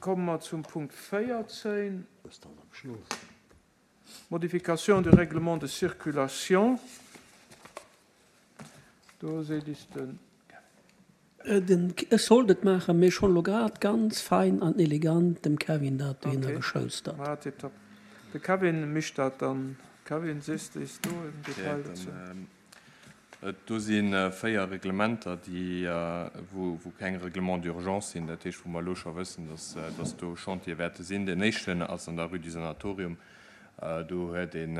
Komme mer zum Punkt 14, Modification du règlement de circulation. Do seet is de Kevin. Ech sollt et maachen, mee ech hunn elo grad ganz fein an elegant dem Kevin dat dohinner geschoustert. Ok, tiptop. De Kevin mécht dat dann. Kevin, sees de is do en Detail dozou? Do si 4 Reglementer, déi, wou keng Règlements d'urgence sinn, dat heescht, wou mer elo scho wëssen, dass do Chantiere wäerte sinn. Deen éischten ass an der Rue du Sanatorium. Do huet een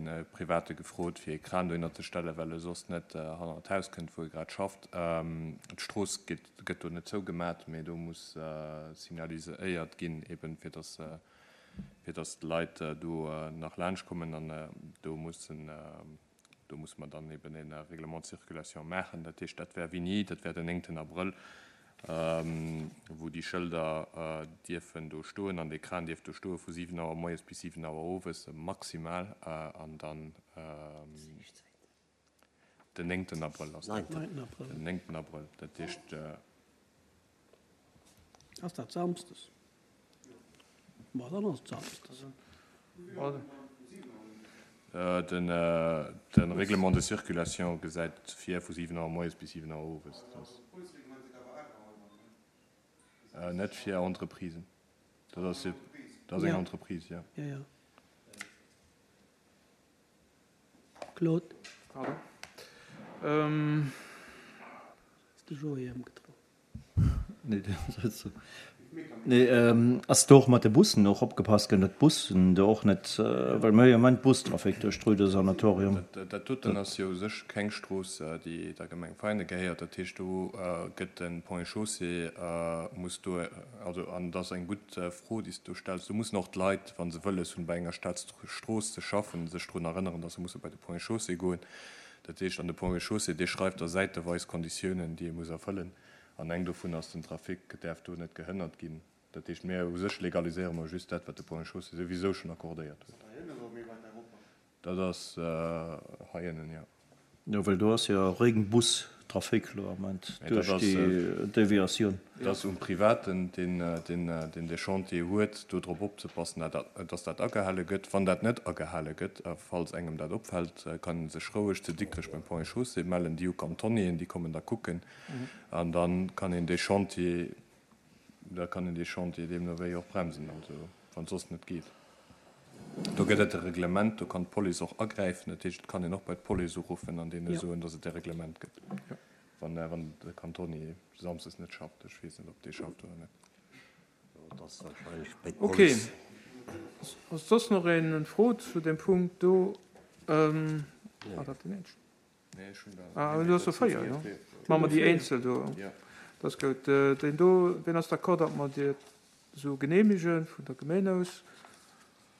e Private gefrot, fir ee Kran dohinner ze stellen, well e soss net hannert d'Haus kënnt, wou e grad schafft. D'Strooss gëtt do net zougemat, mee do muss signaliséiert ginn, eben fir dass, fir dass d'Leit do nach laanschtkommen. An do mussen Do musse mer dann eben e Règlement de circulation maachen. Dat heescht, dat wär wéini? Dat wär den néngten Abrëll, wou déi Schëlder dierfen do stoen an dee Kran dierf do stoe vu 7 Auer moies bis 7 Auer owes maximal. An dann den néngten Abrëll ass dat. Den néngten Abrëll, dat heescht. Ass dat samsdes? Ma dann ass et samsdes. De Règlement de circulation gesäit vir vu 7 Auer moies bis 7 Auer owes. Net fir Entreprisen. Dat ass eng Entreprise, jo. Claude. Pardon. Ass de Joé ëmgedréint? Nee, ass do och mat de Bussen och opgepasst ginn, datt d'Bussen do och net, well mir hu jo am Moment Bustrafic duerch d'Rue du Sanatorium. Dat doten ass jo u sech keng Strooss, déi der Gemeng Veinen gehéiert. Dat heescht, do gëtt de Ponts et Chaussées muss do, also, an et ass eng gutt Fro, déi s de do stells, do mussen och d'Leit, wa se wëlles hunn, bei enger Staatsstrooss ze schaffen, sech drun erënneren, datt se musse bei de Ponts et Chaussées goen. Dat heescht, an de Ponts et Chaussées, dee schreift da säiteweis Konditiounen, déi ee muss erfëllen. An eng dovun ass, den Trafic däerf do net gehënnert ginn. Dat heescht, mir u sech legaliséiere mer just dat, wat de Ponts et Chaussées souwisou schonn accordéiert huet. Dat ass hei ënnen, jo. Jo, well do ass jo réng Bustrafic elo am Moment duerch déi Deviatioun. Et ass um Privaten, deen dee Chantier huet, do drop opzepassen, dass dat agehale gëtt. Wann dat net agehale gëtt, a falls engem dat opfält, kann e sech roueg zu Dikrech beim Ponts et Chaussées mellen. Déi hu Cantonnieren, déi kommen da kucken. An da kann een dee Chantier, da kann een dee Chantier deemno wéi och bremsen, also wann et soss net geet. Do gëtt et e Reglement, do kann d'Police och agräifen. Dat heescht, et kann een och bei d'Police uruffen an deene soen, dass et e Reglement gëtt, wann de Cantonnier samsdes net schafft. Ech weess net, ob dee schafft oder net. Ok. Ass soss nach een en Fro zu deem Punkt do? War dat deen éischten? Ah, du hues der 4, jo. Maache mer déi eenzel do. Dat ass gutt. Deen do, wien ass d'accord, datt mer déi esou geneemege vun der Gemeen aus?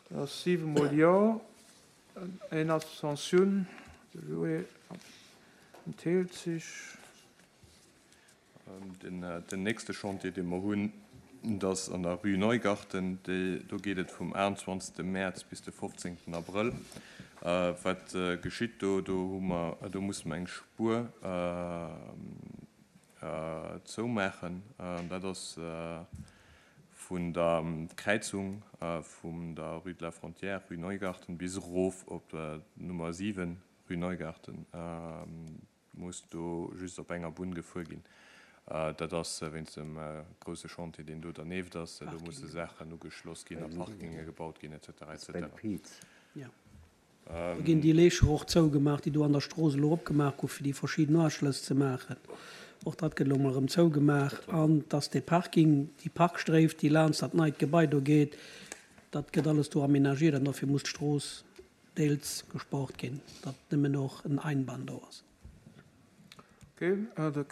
Dat ass 7 mol Jo, een Abstention, de Joé entheelt sech. Den nächste Chantier, dee mer hunn, dat ass an der Rue Neugarten. Do geet et vum 28. Mäerz bis de 15. Abrëll. Wat geschitt do? Do hu mer, do musse mer eng Spuer zoumaachen. Dat ass vun der Kräizung vum der Rue de la Frontière, Rue Neugarten, bis erof op d'Nummer 7, Rue Neugarten. Muss do just op enger Bunn gefuer ginn. Dat ass wéinst dem grousse Chantier, deen do dernieft ass. Do musse Saachen ugeschloss ginn a Parkinge gebaut ginn, et cetera, et cetera. Do ginn déi Lächer och zougemaach, déi do an der Strooss elo opgemaach goufen, fir déi verschidden Uaschlëss ze maachen. Och dat gëtt elo emol erëm zougemaach. An dass dee Parking, déi Parkstréif, déi laanscht dat neit Gebai do geet, dat gëtt alles do aménagiert an dofir muss d'Strooss deels gesport ginn, datt nëmmen och en Einbahn do ass. Ok, de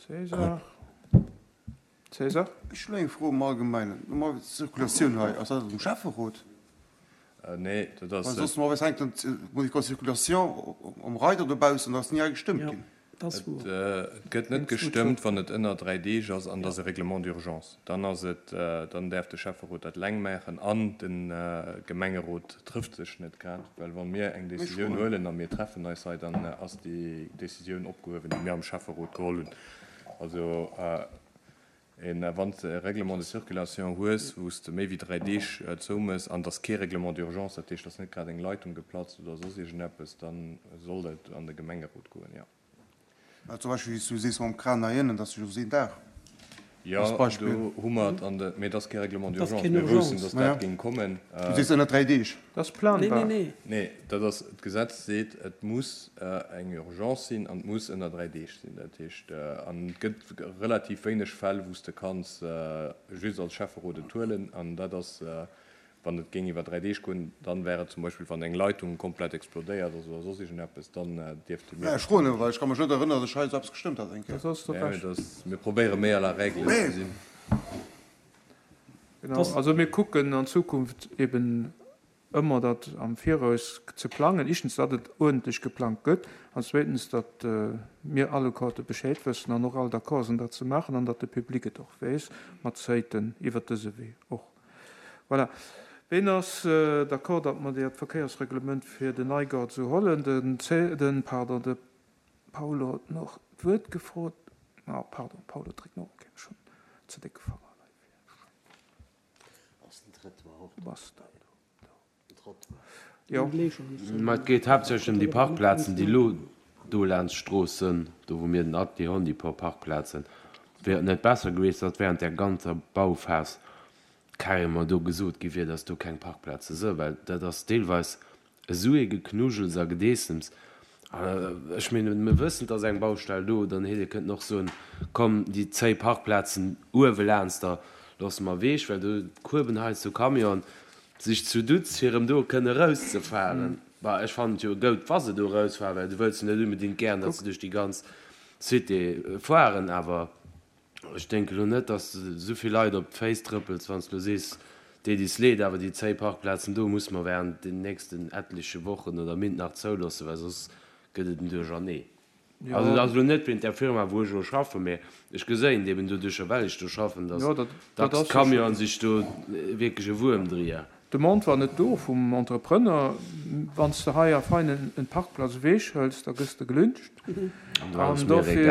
César. César? Ech hunn eng Fro am Allgemeinen. Normalerweis d'Circulatioun hei, ass dat um Schäfferot? Nee, dat ass. Well soss normalerweis hänkt dann d'Modification de circulation um Reider dobaussen, da ass ni hei gestëmmt ginn. Et gëtt net gestëmmt, wann et ënner 3 Deeg ass an et ass e Règlement d'urgence. Dann ass et, dann däerf de Schäfferot dat eleng maachen an de Gemengerot trëfft sech net grad, well wa mir eng Décisioun huelen a mir treffen eis hei, dann ass déi Décisioun opgehuewen, déi mir am Schäfferot geholl hunn. Also. Wann s de e Règlement de circulation hues, wou s de méi wéi 3 Deeg zoumëss an et ass kee Règlement d'urgence, dat heescht, et ass net grad eng Leitung geplatzt oder soss iergendeppes, da soll dat an de Gemengerot goen, jo. Mä zum Beispill, wéi s du sees mam Kran hei ënnen, dat ass jo just een Dag. Jo, do hu mer et an de, mee et ass kee Règlement d'urgence. Mir woussten, datt dat géing kommen. Du sees ënner 3 Deeg. Dat ass planbar. Nee, dat ass, d'Gesetz seet, et muss eng Urgence sinn an et muss ënner 3 Deeg sinn. Dat heescht, an et gëtt relativ wéineg Fäll, wou s de kanns just als Schäfferot et huelen. An dat ass, wann et géing iwwer 3 Deeg goen, dann wär et zum Beispill, wann eng Leitung komplett explodéiert ass oder soss iergendeppes, dann dierfte mir. Ech froen nëmme, well ech ka mech net erënneren, datt ech hei esou eppes gestëmmt hat eng Kéier. Dat ass nee, mee dat, mir probéiere méi à la règle ze sinn. Genau, also mir kucken an Zukunft eben ëmmer dat am Viraus ze plangen, éischtens, datt et uerdentlech geplangt gëtt an zweetens, datt mir allequerte Bescheed wëssen an och all d'accord sinn, dat ze maachen an datt de Public et och weess mat Zäiten iwwert dëse Wee och. Voilà. Ween ass d'accord, datt mer dat Verkéiersreglement fir den Neigaart esou hollen? Den, den, pardon, de Paolo huet nach d'Wuert gefrot. Ah, pardon, Paolo, dréck no. Okay, ech hunn ze décke Fanger hei fir. Ass den Trottoir och do? Bass de do? Jo. Mä et geet haaptsächlech ëm déi Parkplazen, déi elo do laanscht d'Strooss sënn, do wou mir den Atelier hunn, déi puer Parkplazen. Wier et net besser gewiescht, datt während där ganzer Bauphas carrément do gesot gi wier, datt do keng Parkplaze sënn? Well dat ass deelweis esou ee Geknujels a Gedeessems. Ech mengen, mir wëssen, et ass eng Baustell do, dann hätt ee kënnten och soen, komm, déi zéi Parkplazen uewe laanster loosse mer ewech, well do kueben heiansdo Camionen sech zu Dutz, fir erëm do kënne erauszefahren. Bah, ech fannen et jo goud, wa se do erausfahren, well du wëlls jo net unbedingt gären, datt se duerch déi ganz Cité fuaren, awer ech denken elo net, datt s de esou vill Leit op d'Féiss trëppels, wann s de elo sees, deet is leed, awer déi zéi Parkplazen do musse mer während den nächsten etleche Wochen oder Mint nach zouloossen, well soss gëtt et en Duerchernee. Also et ass elo net wéint där Firma, wou ech elo schaffen, mä ech geséien et eben doduercher, well ech do schaffen, datt dacks d'Camionen sech do wierklech e Wuerm drier. D'Demande war net do vum Entrepreneur. Wann s de hei a Veinen en Parkplatz ewech hëls, da gëss de gelyncht. An dofir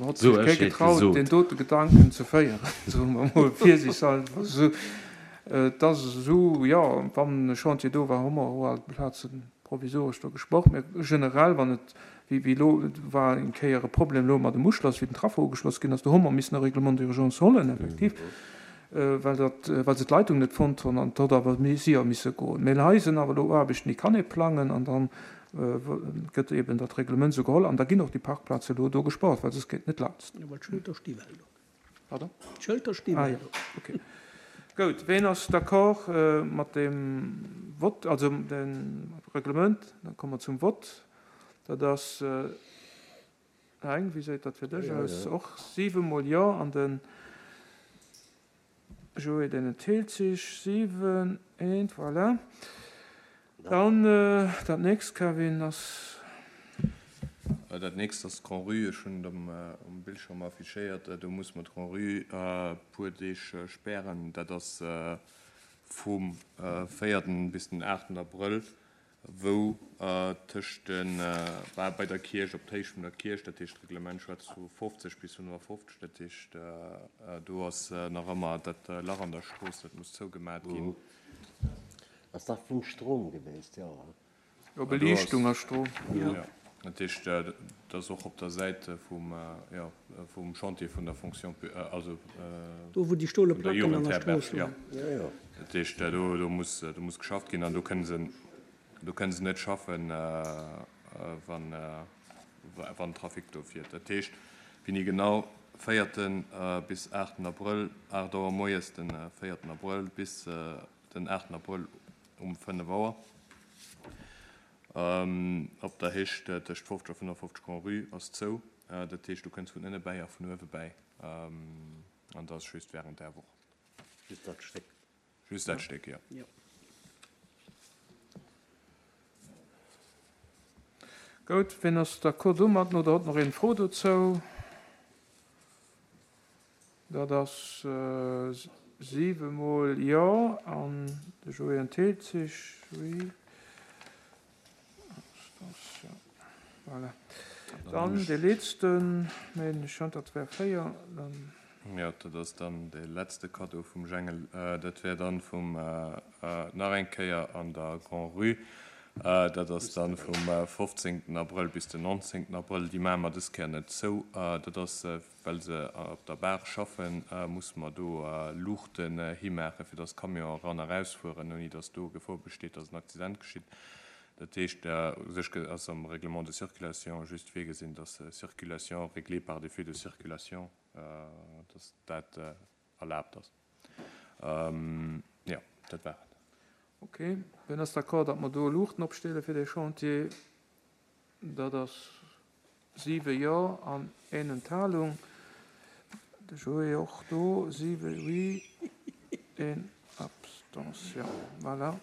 hott sech kee getraut, deen dote Gedanken ze féieren, soe mer emol virsiichthalber esou. Et ass esou, jo, wann e Chantier do war, hu mer och alt Plaze provisoresch do gesproch. Mä generell, wann et, wéi elo, et war eng Kéier e Problem elo mat dem Uschloss, wéi den Traffo ugeschloss ginn ass, do hu mer missen e Règlement d'urgence hollen, effektiv. Well dat, well se d'Leitung net fonnt hunn an et huet awer méi séier misse goen. Mä hei sinn awer elo Aarbechten, déi kann ee plangen an da gëtt eben dat Reglement esou geholl an da ginn och déi Parkplaze elo do gespaart, well soss geet et net laanst. Jo, well d'Schëlter sti well do. Pardon? D'Schëlter sti well do. Ah jo, okay. Goud. Ween ass d'accord mat deem Vott, also dem Reglement? Da komme mer zum Vott. Dat ass. Heng, wéi séit dat fir dech aus? Och 7 mol jo an den Joé deen enthélt sech. 7, eent, voilà. Dann dat nächst, Kevin, ass. Dat nächst ass d'Grand-Rue. Ech hunn et um Bildschirm affichéiert. Do muss mer d'Grand-Rue e puer Deeg spären. Dat ass vum véierten bis den aachten Abrëll. wou tëscht de, bah, bei der Kierch, op d'Héicht vun der Kierch, dat heescht d'Reglement schwätzt vu 50 bis 55, dat heescht do ass nach ëmmer dat Lach an der Strooss, dat muss zougemat ginn. Ass dat vum Strom geweest? Jo, he? Jo, Beliichtung a Strom. Jo, dat heescht, dat ass och op der Säit vum, jo, vum Chantier vun der Fonction pu-, also Do wou déi stole vun der Placken an der Jugendherberg, Strooss jo. leien. Jo, jo. Dat heescht, do, do muss, do muss geschafft ginn an do kënne se, do kënne se net schaffen, wann, wann Trafic do fiert. Dat heescht, wéini genau? Véierten bis aachten Abrëll, 8 Auer moies den véierten Abrëll bis den aachten Abrëll um 5 Auer. Op der Héicht tëscht 50 a 55 Grand-Rue ass zou. Dat heescht, du kënns vun ënne bäi a vun uewe bäi. An dat ass just wärend där Woch. Just dat Stéck? Just dat Stéck, jo. Goud, wien ass d'accord domatten oder huet nach een Fro dozou? Dat ass 7 mol Jo an de Joé entheelt sech. Oui. Voilà. Dann dee letzten, mä ech hunn dat wär 4. Dann. Jo, dat ass dann dee letzte Cadeau vum Jengel. Dat wär dann vum, nach eng Kéier an der Grand-Rue. Dat ass dann vum 15. Abrëll bis den 19. Abrëll. Déi maache mer dës Kéier net zou. Dat ass, well se op der Baach schaffen, musse mer do Luuchten himaachen, fir dass d'Camionen eran a rausfueren, ouni dass do Gefor besteet, dass en Accident geschitt. Dat heescht, u sech ass am Règlement de circulation just virgesinn, dass Circulation réglée par des feux de circulation, dass dat erlaabt ass. Jo, dat war et. Ok, wien ass d'accord, datt mer do Luuchten opstelle fir dee Chantier? Dat ass 7 Jo an een Enthalung. De Joé och do, 7 Oui, een Abstention. Voilà.